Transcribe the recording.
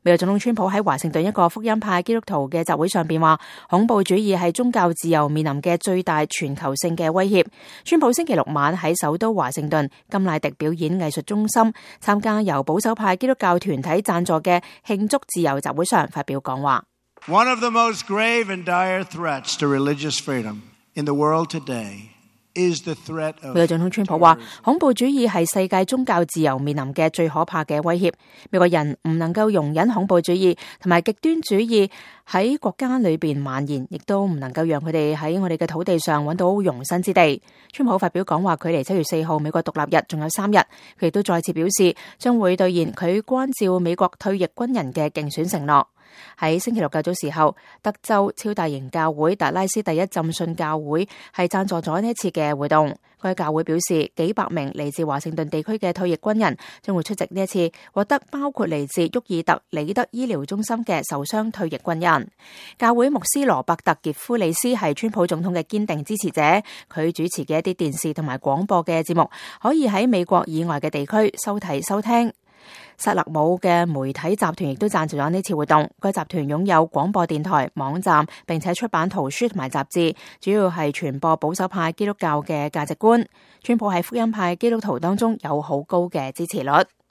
美國總統川普喺華盛頓一個福音派基督徒嘅集會上邊話，恐怖主義係宗教自由面臨嘅最大全球性嘅威脅。川普星期六晚喺首都華盛頓甘迺迪表演藝術中心參加由保守派基督教團體贊助嘅慶祝自由集會上發表講話。One of the most grave and dire threats to religious freedom in the world today is the threat of 美國總統川普話，恐怖主義係世界宗教自由面臨嘅最可怕嘅威脅。美國人唔能夠容忍恐怖主義同埋極端主義喺國家裏邊蔓延，亦都唔能夠讓佢哋喺我哋嘅土地上揾到容身之地。川普發表講話，距離7月4號美國獨立日仲有3日，佢亦都再次表示將會兌現佢關照美國退役軍人嘅競選承諾。喺星期六較早時候，德州超大型教會達拉斯第一浸信教會係贊助咗呢一次嘅活動。該教會表示，幾百名嚟自華盛頓地區嘅退役軍人將會出席呢一次獲得包括嚟自沃爾特里德醫療中心嘅受傷退役軍人。教會牧師羅伯特傑夫里斯係川普總統嘅堅定支持者，佢主持嘅一啲電視同埋廣播嘅節目可以喺美國以外嘅地區收睇收聽。薩勒姆嘅媒體集團亦都贊助咗呢次活動。該集團擁有廣播電台、網站，並且出版圖書同埋雜誌，主要係傳播保守派基督教嘅價值觀。川普喺福音派基督徒當中有好高嘅支持率。